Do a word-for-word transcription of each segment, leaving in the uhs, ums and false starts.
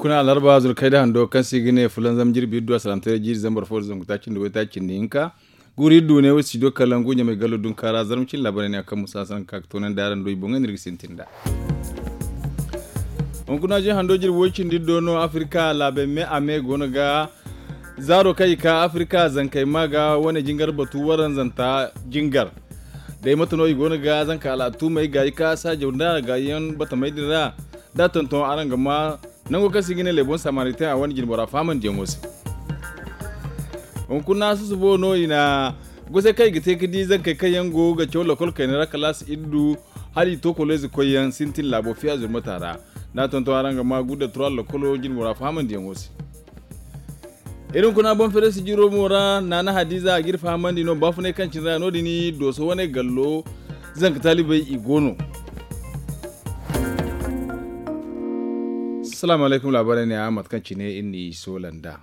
Kuna alarba zurkay da hando kaŋ se i ga ne fulanzam jirbi iddu a salaŋ tare jiiri zambar fo da zangu taaci nda way taaci nda hinka. Guuri iddu ne way studio kalangu ɲamay gallo dunkaara zarma cine laabaray ne a kaŋ musa sanka ka ka toonandi araŋ do i boŋey no iri ga sintin nd'a. Hunkuna jin hando jirbi way cindi iddo no afirka laabey me a me go no ga zaaro kaŋ i ka afirka zankey ma ga wane jingar batu waranzanta jingar. Day mate no i go no ga zanka al'atumey ga i ka saajaw nda ga yaŋ batamey din ra da tonton araŋ ga ma nango kaŋ se i ga ne lebon samaritaŋ a wane jinbora fahamandiyaŋo se. Hunkuna susubo no i na gosey kaŋ i ga te ga di zankey kaŋ yaŋ go ga caw lakol kayna ra kalaasi iddu hala i to koloyze koyyaŋ sintin laabo fiya zurmata ra. Da tonton araŋ ga ma gudda turaal lakolo jinbora fahamandiyaŋo se. Iri hunkuna boŋ fereesi jiro mo ra naana hadiza a ga iri fahamandi no baafunay kaŋ cine ra no- din dooso wane gallo zanka taalibey i go no. Salaamu alaykum laabaarey ne a mate kaŋ cine iri n'i soola nd'a.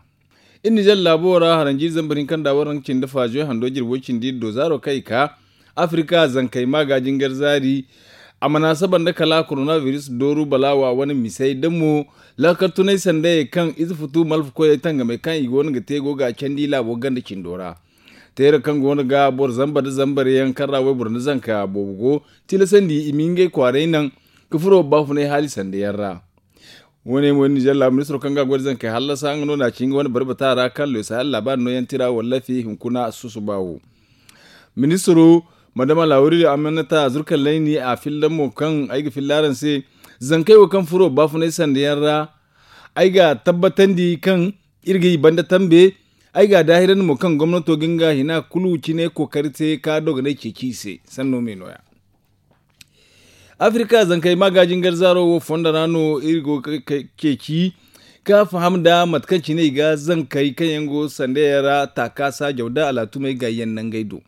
Iri nizer laabo ra haranjiiri zambar hinka nda waranka cindi faazoy hando jirbi way cindi iri do zaaro kaŋ i ka afirka zankey ma ga jingar zaari. A mana saba nda kala koronabiris dooru balaawa wane misey da mo laakal tunay sandayey kaŋ ize futu malfa koyey tangamey kaŋ i go no ga te go ga a candi laabo ganda cindo ra. Teera kaŋ go no ga boro zamba nda zambar yaŋ kaŋ ra wayboro nda zanka boobo go tilasandi i ma ngey kwaaray naŋ ka furo baafunay haali sanda yaŋ ra. Wo- ne mo nizer laabu ministiro kaŋ ga a goy nda zankey hallasa nga no na ci nga wane barbata ra kaŋ leeso hari laabaari nooyaŋ tira wallafi hunkuna susuba wo. Ministiro madama laawuri amanata zurkaŋ layni a filla mo kaŋ ay ga filla araŋ se. Zankey wo kaŋ furo baafunay sanda yaŋ ra ay ga tabbatandi kaŋ iri ga i banda tambe. Ay ga a daahirandi mo kaŋ gomnato ga nga hina kulu cine kookari te ka dogonay ceeci i se sanno me nooya. Afirka zankey ma ga jingar zaaro wo fondo ra no iri go ga ceeci ka faham nda mate kaŋ cine i ga zankey kaŋ yaŋ go sanda yaŋ ra taaka saajaw nda alaatumey ga yaŋ nangey do.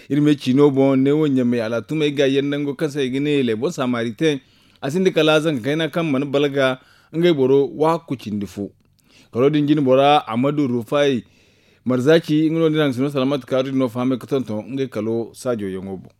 Iri ma ay ciino boŋ neewo ɲamey alaatumey ga yaŋ nango kaŋ se i ga ne lebon samaritaŋ. A sinda kala zanka kayna kaŋ mana balga ngey boro waakku cindi fo. Karo din jine bora amadu rufay marzaaci nga no din haŋ sino salamat kaaru din no fahamay ga tonton ngey kalo saajo yaŋo boŋ.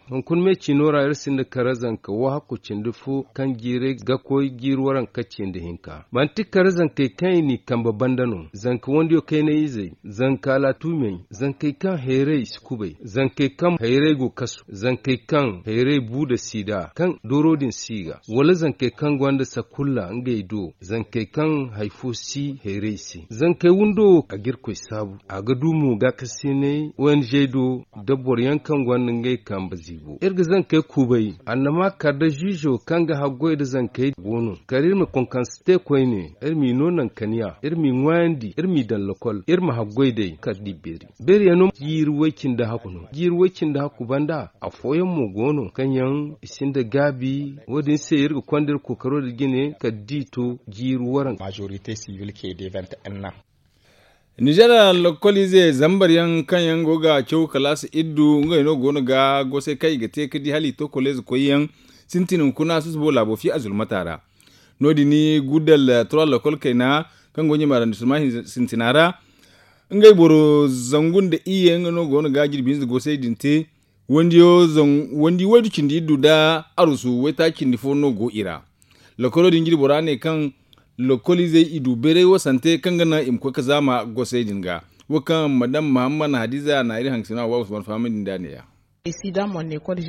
Hunkuna me ciino ra iri sinda kara zanka wahakku cindi fo kaŋ jiiray ga koy jiiri waranka cindi hinka manti kara zankey kaŋ i n'i kambe banda no zanka wandiyo kaynay izey zanka alaatumey zankey kaŋ hayray si kubay zankey kaŋ hayray go kasu zankey kaŋ hayray bu nda siida kaŋ dooro din si i ga wala zankey kaŋ gonda sakulla ngey do zankey kaŋ hari fo si hayray se zankey windo wo a ga irkoy saabu a ga du mo gaakasinay ong do nda boro yaŋ kaŋ gonda ngey kambe ziibo iri ga zankey kubay annama kala nda ziizo kaŋ ga haggoy nda zankey go no kala iri ma konkanse te koyne iri m'i no nankaniya iri m'i ŋwaayandi iri m'i daŋ lokol iri ma haggoy day kala da i beeri beeriyaŋ no jiiri way-cindi hakku no jiiri way-cindi hakku banda afooyaŋ mo go no kaŋ yaŋ i sinda gaabi wo- din se iri ga konda iri kookaro nda jine kala da i to jiiri waranka. Nizer lakkoliize zambar yaŋ kaŋ yaŋ go ga caw kalaasi iddu ngey no go no ga gosay kaŋ i ga te ga di hala i to koleeze koyyaŋ sintin hunkuna susubo laabo fi a zulmata ra. No- din guddal turaal lakkol kayna kaŋ go ɲamarandi sulma sintina ra ngey boro zangu nda iyye nga no go no ga jirbi hinza gosay din te. Wandi waydu cindi iddu nda arusu waytaaci cindi fo no go i ra. Lakkolo din jiri bora ne kaŋ lakkoliizey i du bayray wasante kaŋ ga naŋ i ma koy ga zaama gosey din ga. Wo kaŋ madam mahamman hadiza na iri haŋ ga sina wa usman fahamandi nda ne- ya.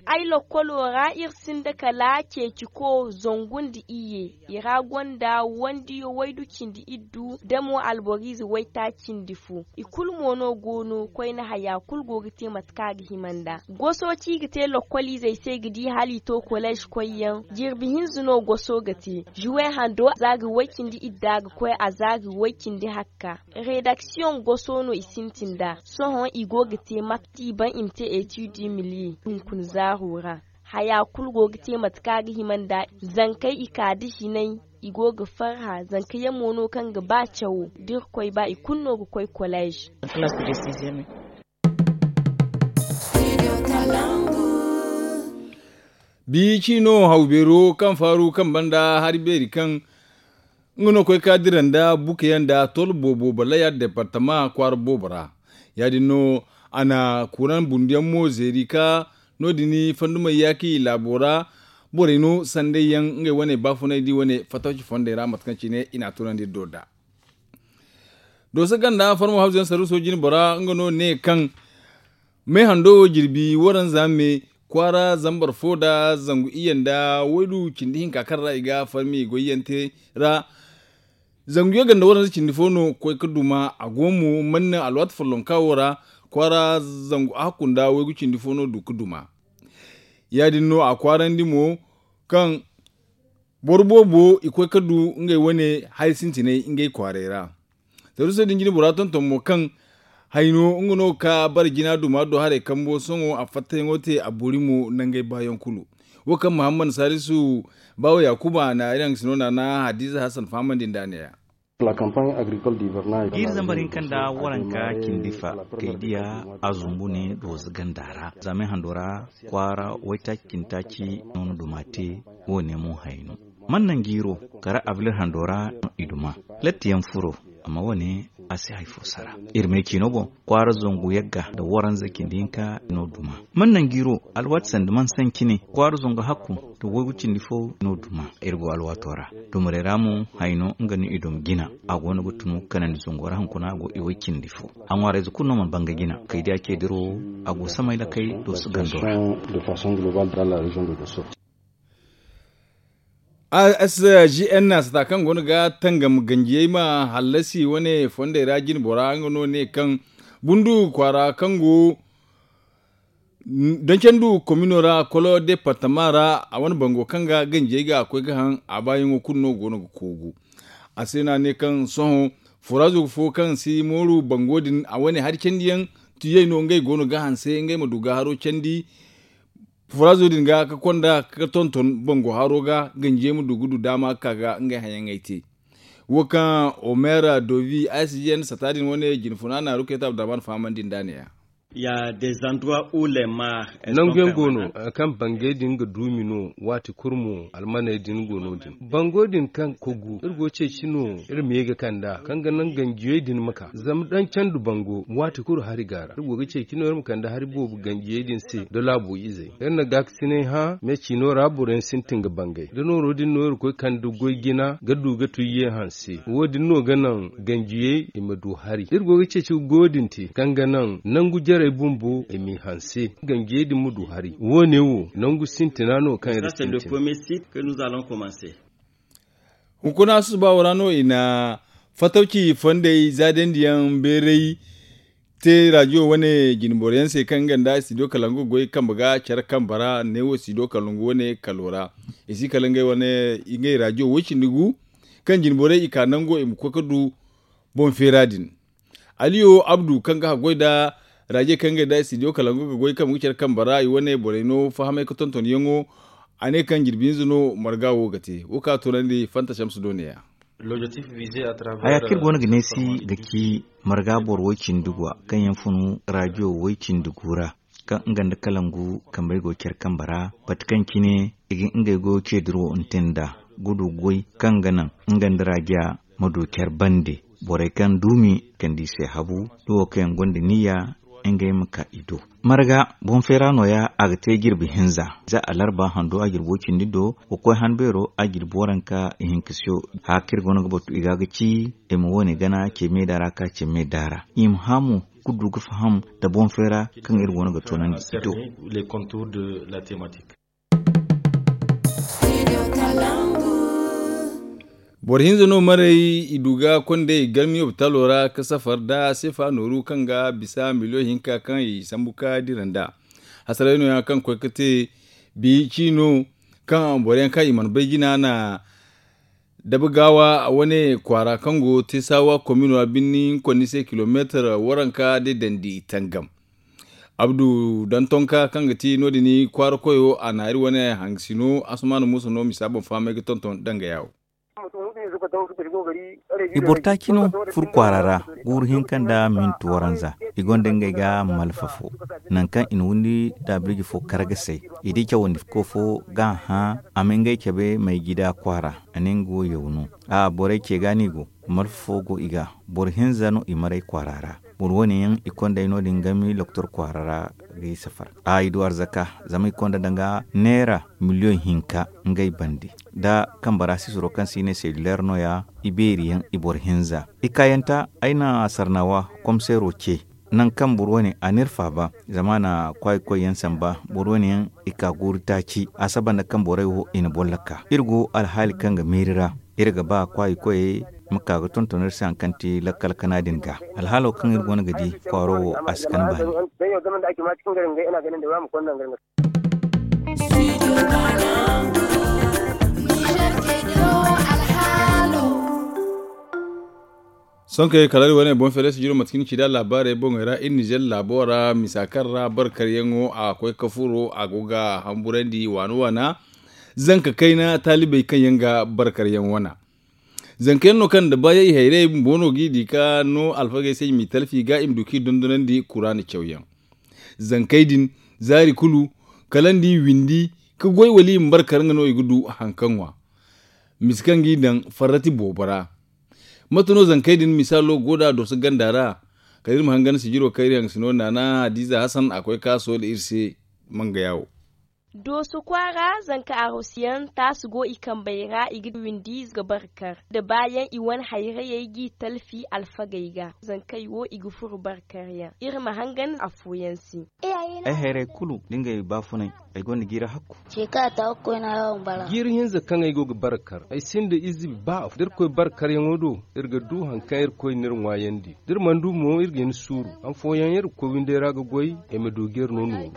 Ay lakkolo ra iri sinda kala ceeci ko zangu nda iyye. I ra gonda wandiyo waydu cindi iddu da mo alboriize waytaaci cindi fo. I kulu mo no go no koyne haya kulu go ga te mate kaŋ a ga hima nd'a goso ci ga te lakkoliizey se ga di hala i to koleez koyyaŋ. Jirbi hinza no goso ga te zuwe hando a zaari way-cindi idda ga koy a zaari way-cindi hakka. Redaksiyoŋ goso no i sintin nd'a sohõ i go ga te mate kaŋ i ban i ma te etid miliyey hunkuna zaaro ra. Haya kulu go ga te mate kaŋ a ga hima nd'a zankey i ka da hinay. I go ga farha zanka yaŋ mo no kaŋ ga ba cawo da irkoy ba i kulu no ga koy koleez. Biici no hawbeero kaŋ faaru kaŋ banda hari beeri kaŋ nga no koy ka dira nda bukayaŋ nda tol boobo balaya departama kwaara boobo ra. Ya- din no a na kuraŋ bunduyaŋ mo zeeri ka no- din fandumey yaaki laabo ra. borey no sanday yaŋ ngey wane baafunay di wane fatawci fondey ra mate kaŋ cine i n'a tunandi iri do nd'a. Dooso ganda farmo hawzu yaŋ sarru soojin bora nga no ne kaŋ me hando wo jirbi waranza me kwaara zambar fo nda zangu iyye nda waydu cindi hinka kaŋ ra i ga farmi goyyaŋ te ra. Zangu yaŋ ganda waranza cindi fo no koy ga duma a go mo manna alwaati follonka wo ra kwaara zangu a hakku nda waygu cindi fo no du ga duma. Ya- din no a kwaarandi mo kaŋ boro boobo i koy ga du ngey wane hari sintinay ngey kwaaray ra. Saruuso din jine bora tonton mo kaŋ hayno nga no ka bara jina duma do haray kambo sohõ a fattayaŋo te a boori mo nangey baayaŋ kulu. Wo kaŋ muhammad salisu baawo yaakuba na iri haŋ ga sino naana hadiza hassan fahamandi nda a ne- ya. Jiiri zambar hinka nda waranka cindi fa kay diya a zumbu ne dooza ganda ra. Zama ay hando ra kwaara waytaaci cindi taaci no na duma te. Wo- ne mo hayno man naŋ jiiro kara abilir hando ra no i duma. Latti yaŋ furo amma wo- ne a si hari fo sara. Iri me ciino boŋ kwaara zangu yagga nda waranza cindi hinka no duma. Man naŋ jiiro alwaati sanda man saŋ cine kwaara zangu hakku nda waygu cindi fo no duma. Iri go alwaato ra dumarey ra mo hayno nga no i duma jina. A go no ga tunu kanandi zango ra hunkuna a go i way cindi fo. A ŋwaarayze kulu no mana banga jina kay diya ce diro a go samay lakay dooso gando ra. Asgn na sata kaŋ go no ga tangam ganjiyey ma hallasi wane fondey ra jine bora nga no ne kaŋ bundu kwaara kaŋ go doncandu komino ra kolo departama ra a wane bango kaŋ ga ganjiyey ga koy ga haŋ a baayaŋo kulu no go no ga koogu. A se no a ne kaŋ sohõ furazo fo kaŋ si mooru bango din a wane hari candiyaŋ tuyey no ngey go no ga hanse ngey ma du ga haro candi. Furazo din ga ka konda ka tonton bango haro ga ganjiyey ma du ga du daama ga ka ga ngey hayaŋey te. Wo kaŋ omer dovi a s g n sata din wane jinfuna na ruketa abdurrahman fahamandi nda ne- ya. Nangu yaŋ go no kaŋ bangey din ga duumi no waati kulu mo almaney din go no- din. Bango din kaŋ kogu iri go ceeci no iri ma ye ga kand'a kaŋ ga naŋ ganjiyey din ma ka zama daŋ candu bango waati kulu hari ga ra iri go ga ceeci no iri ma kande hari boobo ganjiyey din se nda laabo izey. Iri na gaakasinay hã me ciino ra boroyaŋ sintin ga bangay da nooro din no iri koy kande goy jina ga du ga tuyye hanse wo- din no ga naŋ ganjiyey i ma du hari iri go ga ceeci ga goyo din te kaŋ ga naŋ nangu jarey bumbo i m'i hanse ganjiyey din ma du hari wo- ne wo nangu sintina no kaŋ iri sintin. Hunkuna susuba wo ra no i na fatawci fondey zaadandiyaŋ beeray te rajiyo wane jinboro yaŋ se kaŋ nga nda studio kalangu ga goy kambe ga care kambe ra neewo studio kalangu wane kalo ra. I si kala ngey wane ngey rajiyo woy cindi gu kaŋ jinborey i ka nango i ma koy ga du boŋ feera din. Aliyo abdu kaŋ ga haggoy nda raje kaŋ ga nda studio kalangu ga goy kaŋ ga care kambe ra i wane borey no fahamay ga tonton yaŋo. A ne kaŋ jirbi hinza no marga wo ga te wo ka toonandi fanta shamsu do ne- ya. Haya kaŋ iri go no ga neesi ga ci marga boro woy cindi gwa kaŋ yaŋ funu rajiyo woy cindi gu ra kaŋ nga nda kalangu kambey go care kambe ra bate kaŋ cine i ga ngey goyo ce diro nte nd'a ga du goy kaŋ ga naŋ nga nda rajiya ma du care bande. Borey kaŋ duumi kande i se habu da wo kaŋ yaŋ gonda niyya ngey ma ka i do. Marga boŋ feera nooya a ga te jirbi hinza za alarba hando a jirbo cindi do ga koy han beero a jirbi waranka ihinka siyo. Haya kaŋ iri go no ga batu i ga ga ci i ma wo- ne gana ce meeda ra ka ce meeda ra i ma hã mo ga du ga faham nda boŋ feera kaŋ iri go no ga toonandi i do. Boro hinza no maray i du ga kondey garmi lopitalo ra ga safar nda seefa nooru kaŋ ga bisa miliyoŋ hinka kaŋ i sambu ga dira nd'a. Hasaray nooya kaŋ koy ga te bi ciino kaŋ boro yaŋ kaŋ i mana bay jina na dabagaawa wane kwaara kaŋ go teesawa komino ra birni hinkonni se kilomeetar waranka day dandi tangam. Abdu dantonka kaŋ ga ti no- din kwaara koyo a na iri wane hangasino asumaana muusa no misa boŋ fahamay ga tonton danga yaawo. I boro taaci no furo kwaara ra guuru hinka nda minti waranza i gonda ngey ga malfa fo. Nangu kaŋ i na windi daabirji fo kar ga say i di cawandi ko fo ga a hã a ma ngey cabe may jida kwaara. A ne nga wo yaw no. A borey ce ga no i go malfa fo go i ga. Boro hinza no i maray kwaara ra. Boro wane yaŋ i konda ay no- din gami doktor kwaara ra ga i safar. A i du arzaka zama i konda danga neera miliyoŋ hinka ngey bande. Da kambe ra sisiro kaŋ se i ne selluler no- ya, i beeri yaŋ, i boro hinza, i kaayanta. Ay na sarnawa komseero ce, nangu kaŋ boro wane a n'iri faaba zama a na kwaayi koy yaŋ samba. Boro wane yaŋ i ka guuru taaci a saba nda kaŋ borey wo i na bolla ka iri go alhaali kaŋ ga meeri ra. Iri ga ba kwaayi koyey ma ka ga tonton iri se hari kaŋ ti lakkal kana din ga. Alhaalo kaŋ iri go no ga di kwaaro wo a si kan baani. Sohõ kala iri wane boŋ feere sijiro mate kaŋ ni ci nd'a laabaarey boŋey ra iri nizer laabo ra misa kaŋ ra barkaryaŋo a koy ka furo a go ga hamburandi waana waana. Zanka kayna taalibey kaŋ yaŋ ga barkaryaŋ wana zanka yaŋ no kaŋ nda baayey hayrayey bumbo no g'i di ka no alfagey se i m'i talfi ga i ma du k'i dondonandi kuraana cawyaŋ. Zankey din zaari kulu kala nda i windi ka goy wala i ma barkar nga no i ga du hari kaŋ ŋwa. Misa kaŋ g'i daŋ farrati boobo ra. Mate no zankey din misaalo go nd'a dorso ganda ra? Kala iri ma hangan sijiro kaŋ iri haŋ ga si no naana hadiiza hasan a koy ka soola iri se. Mangaya wo. Dooso kwaara zanka arosiyaŋ taasu go i kambey ra i ga windi ga barkar da baayaŋ i wane hayrayey g'i talfi alfagey ga zankey wo i ga furo barkaryaŋ iri ma hangan afooyaŋ se. Ay hayray kulu da ngey baafunay ay gonda jiiri hakku. Jiiri hinza kaŋ ay go ga barkar ay sinda ize ba afo da iri koy barkaryaŋo do. Iri ga du hari kaŋ iri koy n'iri ŋwaayandi da iri mana du mo iri ga hin suuru. Hari fooyaŋ iri ga koy windey ra ga goy ay ma du ga iri no nooru.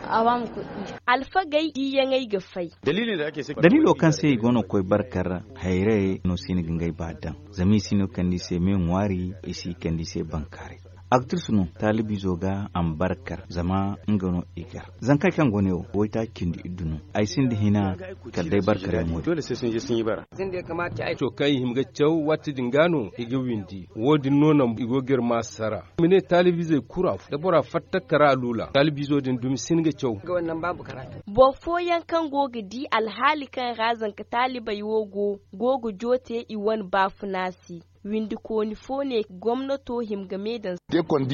Alfagey diiyaŋey ga fay. Daliilo kaŋ se i go no ga koy barkar hayrayey no si hin ga ngey ba daŋ. Zama i si no kande i se me ŋwaari i si kande i se bankaaray. Aktirsu no taalibiizo ga a ma barkar zama nga no i gar zankey kaŋ go ne wo waytaaci cindi iddu no. Ay sinda hina kala day barkaryaŋo din. Kaŋ i hima ga caw waati din ga no i ga windi wo- din no naŋ i go ga iri ma sara. I ma ne taalibiizey kulu afo da bora fatta kara a luula taalibiizo din dumi si hin ga caw. Boro fooyaŋ kaŋ go ga di alhaali kaŋ ra zanka taalibey wo go go ga joote i wane baafuna se. Windikooni fo ne gomnato hima ga me daŋ.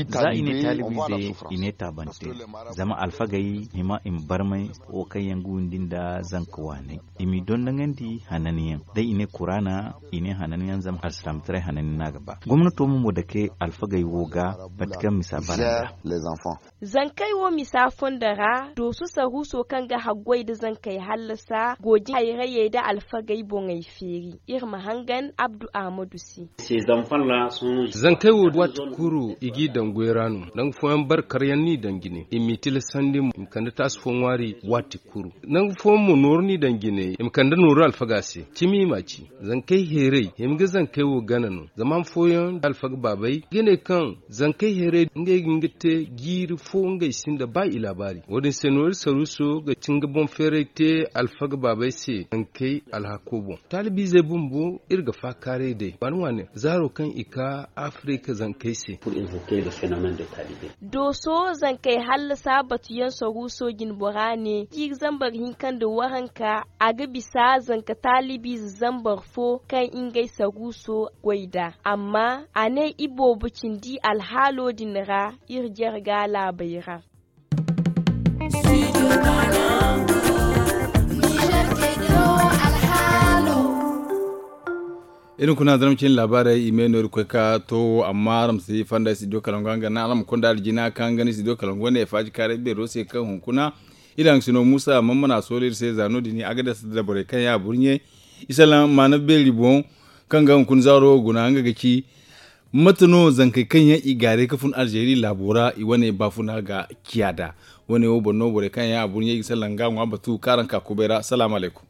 Za i ne taalibiizey i ne taabante zama alfagey hima i ma barmay wo kaŋ yaŋ ga windi nda zanka waaney i m'i dondoŋandi hananyaŋ day i ne kuraana i ne hananyaŋ zama alsilaamataray hananyaŋ no a ga ba. Gomnato mo mo dake alfagey wo ga mate kaŋ misa bara nda. Zankey wo misa fondo ra dooso saruuso kaŋ ga haggoy nda zankey hallasa gooji hayrayey nda alfagey boŋey feeri. Iri ma hangan abdu ahmadu se. Zankey wo waati kulu i g'i daŋ goy ra no nangu fooyaŋ barkaryaŋ no i daŋ jine i m'i tilasandi mo i ma kande taasi fo ŋwaari waati kulu. Nangu fooyaŋ mo nooru no i daŋ jine i ma kande nooru alfaga se cimi i m'a ci. Zankey heeray hima ga zankey wo gana no zama han fooyaŋ alfaga baabey ga ne kaŋ zankey heeray ngey ga nga te jiiri fo ngey sinda ba i laabaari wo- din se no iri saruuso ga ti nga boŋ feeray te alfaga baabey se zankey alhako boŋ. Taalibiizey bumbo iri ga faakaaray day waani waani zaaro kaŋ i ka afirika zankey se. Dooso zankey hallasa batuyaŋ saruuso jinbora ne jiiri zambar hinka nda waranka a ga bisa zanka taalibiize zambar fo kaŋ ngey saruuso goy nd'a amma a ne iboobo cindi alhaalo din ra iri jarga laabey ra. Iri hunkuna zarma cine laabaarey i me no iri koy ka to amma araŋ ma si fanda studio kalangu hanga naŋ araŋ ma konda aljina kaŋ ga ni studio kalangu wane faaji kaaray beero se kaŋ hunkuna iri haŋ sino muusa mammana soolo iri se za no- din a ga dasa da borey kaŋ ya burɲe. Isallaŋ maana beeri boŋ kaŋ ga hunkuna zaaro guna nga ga ci mate no zankey kaŋ yaŋ i gaaray ka fun alzeeri laabo ra i wane baafuna ga ciya nd'a. Wane wo boŋ no borey kaŋ yaŋ a burɲey ga sallaŋ ga ŋwa batu kaŋ araŋ ka kubay ra salaamu alaykum.